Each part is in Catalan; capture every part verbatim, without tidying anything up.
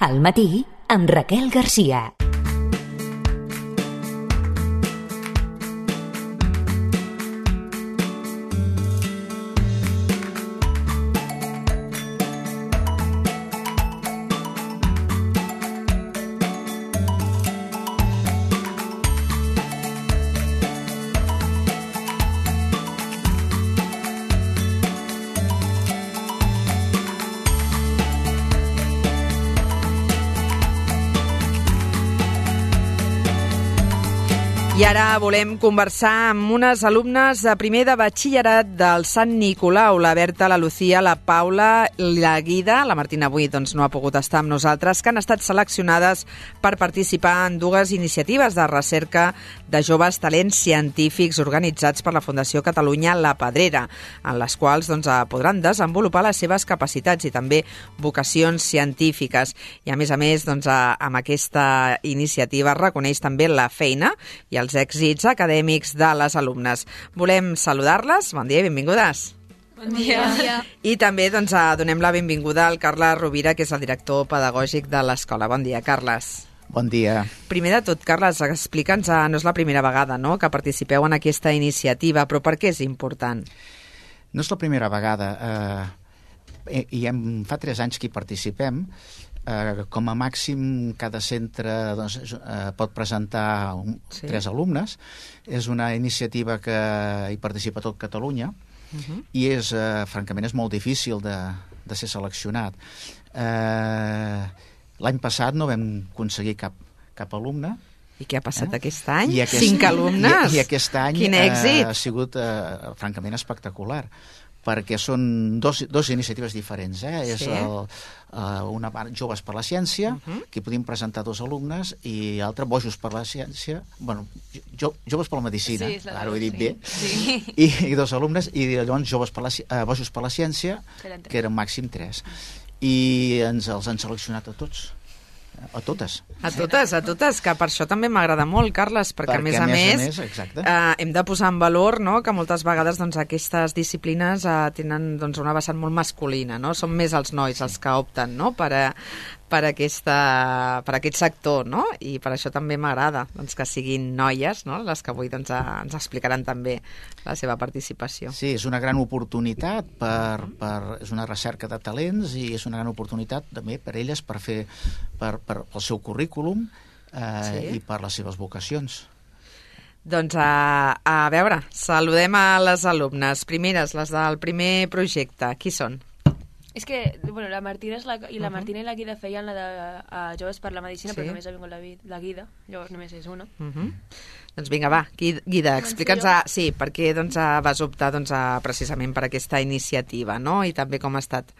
Al matí, amb Raquel Garcia. I ara volem conversar amb unes alumnes de primer de batxillerat del Sant Nicolau, la Berta, la Lucía, la Paula, la Guida, la Martina avui doncs, no ha pogut estar amb nosaltres, que han estat seleccionades per participar en dues iniciatives de recerca de joves talents científics organitzats per la Fundació Catalunya La Pedrera, en les quals doncs, podran desenvolupar les seves capacitats i també vocacions científiques. I a més a més, doncs, amb aquesta iniciativa es reconeix també la feina i els èxits acadèmics de les alumnes. Volem saludar-les. Bon dia i benvingudes. Bon dia. Bon dia. I també doncs, donem la benvinguda al Carles Rovira, que és el director pedagògic de l'escola. Bon dia, Carles. Bon dia. Primer de tot, Carles, explica'ns, no és la primera vegada no, que participeu en aquesta iniciativa, però per què és important? No és la primera vegada. Eh, i hem, fa tres anys que hi participem. Eh, com a màxim cada centre doncs, eh, pot presentar un, sí. tres alumnes. És una iniciativa que hi participa tot Catalunya uh-huh. i és, eh, francament és molt difícil de, de ser seleccionat. Eh, l'any passat no vam aconseguir cap, cap alumne. I què ha passat eh? aquest any? I aquest, Cinc alumnes? I, i aquest any Quin èxit! Eh, ha sigut eh, francament espectacular, perquè són dos, dos iniciatives diferents. Eh? Sí. És el, uh, una part Joves per la Ciència, uh-huh. que podem presentar dos alumnes, i l'altra Bojos per la Ciència, bueno, jo, Joves per la Medicina, sí, ara ho he dit sí. bé, sí. I, i dos alumnes, i llavors Joves per la, uh, Bojos per la Ciència, que eren màxim tres. I ens els han seleccionat a tots. A totes. A totes, a totes, que per això també m'agrada molt, Carles, perquè, perquè a més a més, a més, més eh, hem de posar en valor no, que moltes vegades doncs, aquestes disciplines eh, tenen doncs, una vessant molt masculina, no? Són més els nois sí. els que opten no, per, a, per, aquesta, per aquest sector, no? I per això també m'agrada doncs, que siguin noies, no? Les que avui doncs, ens explicaran també la seva participació. Sí, és una gran oportunitat, per, per, és una recerca de talents i és una gran oportunitat també per elles per fer per, per, pel seu currículum eh, sí. i per les seves vocacions. Doncs a, a veure, saludem a les alumnes. Primeres, les del primer projecte. Qui són? És que, bueno, la Martina és la, i la Martina i la Guida feien la de a Joves per la Medicina, sí. però només ha vingut la, la Guida, llavors només és una. Uh -huh. Doncs vinga, va, Guida, explica'ns a, sí, per què doncs, vas optar doncs, a, precisament per aquesta iniciativa, no? I també com ha estat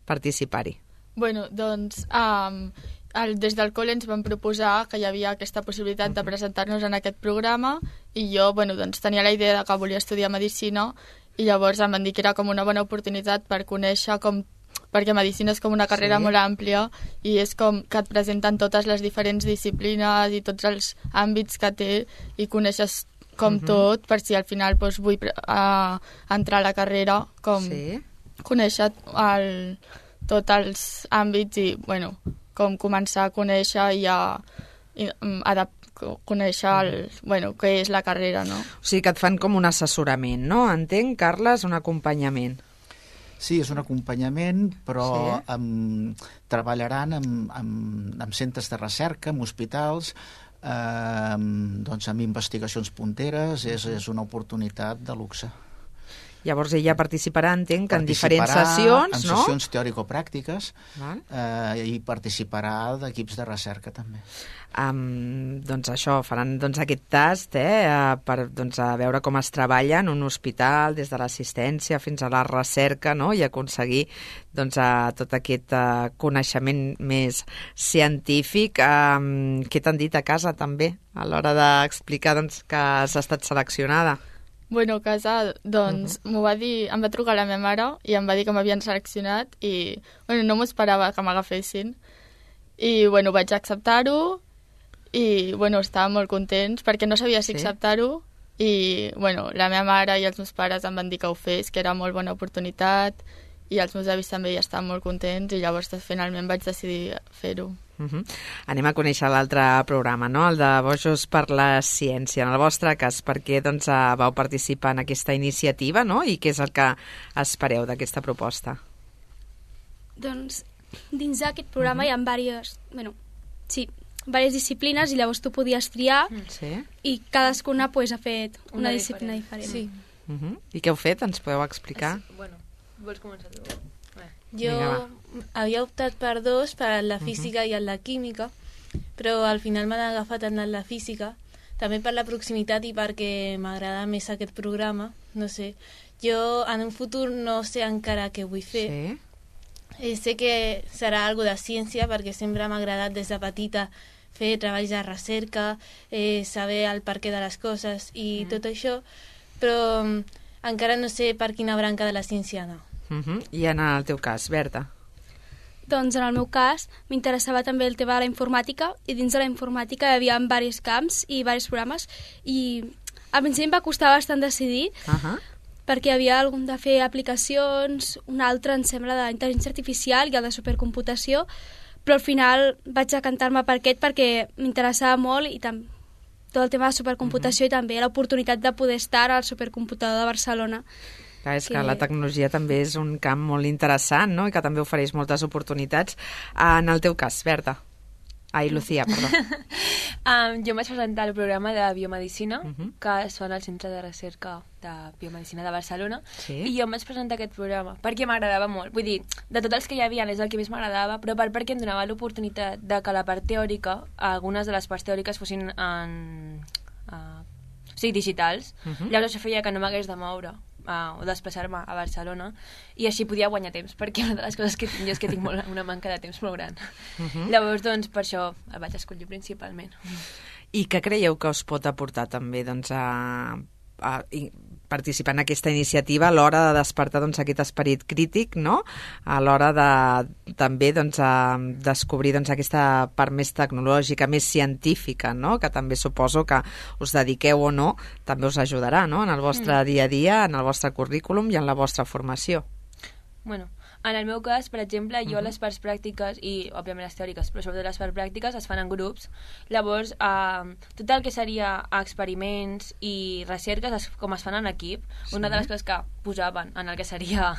participar-hi. Bueno, doncs, um, el, des del col·le ens van proposar que hi havia aquesta possibilitat uh-huh. de presentar-nos en aquest programa i jo, bueno, doncs tenia la idea de que volia estudiar Medicina i llavors em van dir que era com una bona oportunitat per conèixer com perquè Medicina és com una carrera sí. molt àmplia i és com que et presenten totes les diferents disciplines i tots els àmbits que té i coneixes com uh-huh. tot, per si al final doncs, vull uh, entrar a la carrera, com sí. conèixer el, tots els àmbits i, bueno, com començar a conèixer i a, i, a conèixer el, bueno, què és la carrera, no? O sigui que et fan com un assessorament, no? Entenc, Carles, un acompanyament. Sí, és un acompanyament, però sí. amb, treballaran amb, amb, amb centres de recerca, amb hospitals, eh, doncs amb investigacions punteres, és, és una oportunitat de luxe. Llavors ella participarà, entenc, en diferents sessions, en no? En sessions teòrico-pràctiques eh, i participarà d'equips de recerca també. Um, doncs això, faran doncs, aquest tast eh, per doncs, a veure com es treballa en un hospital, des de l'assistència fins a la recerca, no? I aconseguir doncs, a tot aquest uh, coneixement més científic. Um, què t'han dit a casa també a l'hora d'explicar doncs, que has estat seleccionada? Bueno, a casa, doncs, uh-huh. m'ho va dir, em va trucar la meva mare i em va dir que m'havien seleccionat i, bueno, no m'ho esperava que m'agafessin. I, bueno, vaig acceptar-ho i, bueno, estàvem molt contents perquè no sabia si sí? acceptar-ho i, bueno, la meva mare i els meus pares em van dir que ho fes, que era molt bona oportunitat i els meus avis també ja estaven molt contents i llavors finalment vaig decidir fer-ho. Uh-huh. Anem a conèixer l'altre programa, no? El de Bojos per la Ciència. En el vostre cas, per què doncs, vau participar en aquesta iniciativa, no? I què és el que espereu d'aquesta proposta? Doncs dins d'aquest programa uh-huh. hi ha diverses, bueno, sí, diverses disciplines i llavors tu podies triar sí. i cadascuna pues, ha fet una, una disciplina diferent. Sí. Uh-huh. I què heu fet? Ens podeu explicar? Sí, bueno, vols començar tu? Eh. Jo havia optat per dos, per la física uh-huh. i la química, però al final m'han agafat en la física, també per la proximitat i perquè m'agrada més aquest programa, no sé. Jo en un futur no sé encara què vull fer. Sí. Eh, sé que serà algo de ciència perquè sempre m'ha agradat des de petita fer treballs de recerca, eh, saber el perquè de les coses i mm. tot això, però um, encara no sé per quina branca de la ciència anar. Uh-huh. I en el teu cas, Berta? Doncs en el meu cas m'interessava també el tema de la informàtica i dins de la informàtica hi havia diversos camps i diversos programes i al principi em va costar bastant decidir uh-huh. perquè hi havia algun de fer aplicacions, un altre em sembla d'intel·ligència artificial i el de supercomputació, però al final vaig decantar-me per aquest perquè m'interessava molt i tam- tot el tema de supercomputació uh-huh. i també l'oportunitat de poder estar al supercomputador de Barcelona. Clar, és que... que la tecnologia també és un camp molt interessant, no? I que també ofereix moltes oportunitats. En el teu cas, Berta. Ai, Lucía, perdó. um, jo em vaig presentar al programa de biomedicina, uh-huh. que es fa al Centre de Recerca de Biomedicina de Barcelona, sí. i jo em vaig presentar aquest programa perquè m'agradava molt. Vull dir, de tots els que hi havia és el que més m'agradava, però per perquè em donava l'oportunitat de que la part teòrica, algunes de les parts teòriques fossin en... Uh, o sigui, digitals. Uh-huh. Llavors això feia que no m'hagués de moure uh, o desplaçar-me a Barcelona i així podia guanyar temps, perquè una de les coses que tinc jo és que tinc molt, una manca de temps molt gran. Uh-huh. Llavors, doncs, per això el vaig escollir principalment. I què creieu que us pot aportar també doncs, a, a, a participar en aquesta iniciativa a l'hora de despertar doncs, aquest esperit crític, no? A l'hora de també doncs, a descobrir doncs, aquesta part més tecnològica, més científica, no? Que també suposo que us dediqueu o no, també us ajudarà, no? En el vostre mm. dia a dia, en el vostre currículum i en la vostra formació. Bueno, en el meu cas, per exemple, jo uh-huh. les parts pràctiques, i òbviament les teòriques, però sobretot les parts pràctiques es fan en grups. Llavors, eh, tot el que seria experiments i recerques, es, com es fan en equip, sí. una de les coses que posaven en el que seria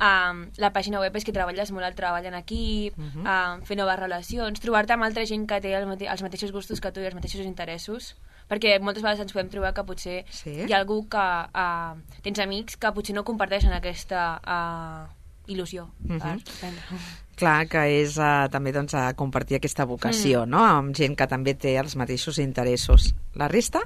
eh, la pàgina web és que treballes molt el treball en equip, uh-huh. eh, fer noves relacions, trobar-te amb altra gent que té el mate- els mateixos gustos que tu i els mateixos interessos, perquè moltes vegades ens podem trobar que potser sí. hi ha algú que uh, tens amics que potser no comparteixen aquesta uh, il·lusió uh-huh. per aprendre. Clar, que és uh, també doncs, a compartir aquesta vocació, mm. no? Amb gent que també té els mateixos interessos. La resta?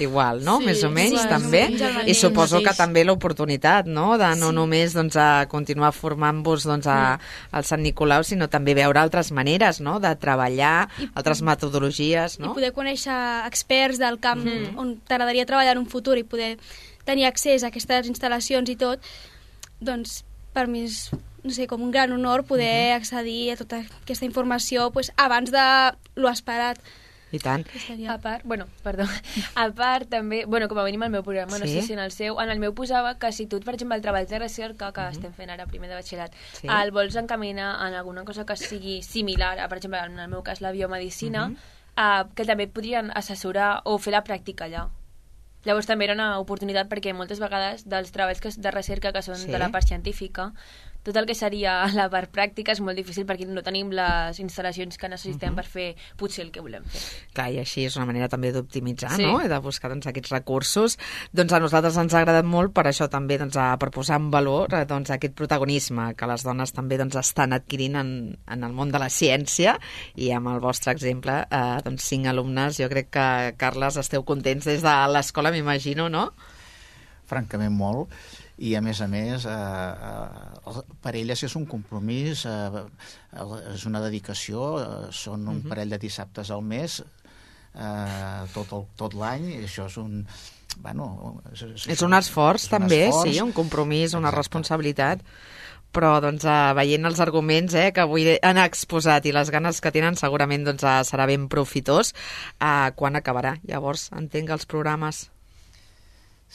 Igual, no? Sí, Més o menys, sí, també. sí, I suposo que també l'oportunitat, no? De no sí. només doncs, a continuar formant-vos doncs, a, al Sant Nicolau, sinó també veure altres maneres, no? De treballar, I, altres metodologies, no? I poder conèixer experts del camp mm. on t'agradaria treballar en un futur i poder tenir accés a aquestes instal·lacions i tot, doncs per mi és, no sé, com un gran honor poder uh-huh. accedir a tota aquesta informació pues, abans de lo esperat. I tant. A part, bueno, perdó, a part també, bueno, com a mínim al meu programa, sí? No sé si en el seu, en el meu posava que si tu, per exemple, el treball de recerca que uh-huh. estem fent ara primer de batxillerat, sí? el vols encaminar en alguna cosa que sigui similar, a, per exemple, en el meu cas la biomedicina, uh-huh. uh, que també et podrien assessorar o fer la pràctica allà. Llavors també era una oportunitat perquè moltes vegades dels treballs que, de recerca que són sí? de la part científica, tot el que seria la part pràctica és molt difícil perquè no tenim les instal·lacions que necessitem uh-huh. per fer potser el que volem fer. Clar, i així és una manera també d'optimitzar, sí. no? I de buscar doncs, aquests recursos. Doncs a nosaltres ens ha agradat molt per això també doncs, a, per posar en valor doncs, aquest protagonisme que les dones també doncs, estan adquirint en, en el món de la ciència i amb el vostre exemple, eh, doncs, cinc alumnes, jo crec que, Carles, esteu contents des de l'escola, m'imagino, no? Francament molt. I a més a més eh, eh, per elles és un compromís, eh, és una dedicació, eh, són un uh-huh. parell de dissabtes al mes eh, tot, el, tot l'any, i això és un bueno, és, és, és un esforç és també, un esforç. Sí, un compromís, una Exacte. Responsabilitat, però doncs, eh, veient els arguments eh, que avui han exposat i les ganes que tenen segurament doncs, eh, serà ben profitós. Eh, quan acabarà? Llavors, entenc els programes.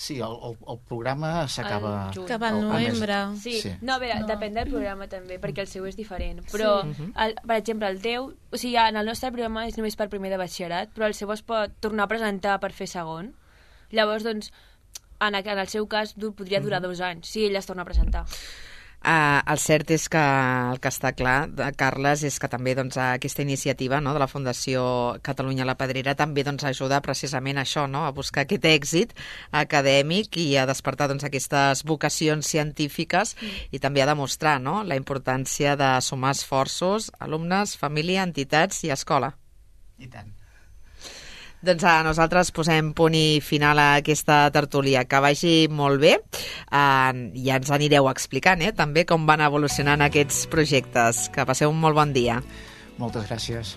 Sí, el, el, el programa s'acaba... Al juny. Cap al al- al mes. novembre. Sí. Sí. No, a veure, No. depèn del programa també, perquè el seu és diferent. Però, Sí. el, per exemple, el teu... O sigui, en el nostre programa és només per primer de batxillerat, però el seu es pot tornar a presentar per fer segon. Llavors, doncs, en, en el seu cas, du- podria durar dos anys, si ell es torna a presentar. Uh, el cert és que el que està clar, de Carles, és que també doncs, aquesta iniciativa, no?, de la Fundació Catalunya la Pedrera també doncs, ajuda precisament a això, no?, a buscar aquest èxit acadèmic i a despertar doncs, aquestes vocacions científiques mm. i també a demostrar, no?, la importància de sumar esforços, alumnes, família, entitats i escola. I tant. Doncs a nosaltres posem punt i final a aquesta tertúlia. Que vagi molt bé. Uh, ja ens anireu explicant, eh, també com van evolucionant aquests projectes. Que passeu un molt bon dia. Moltes gràcies.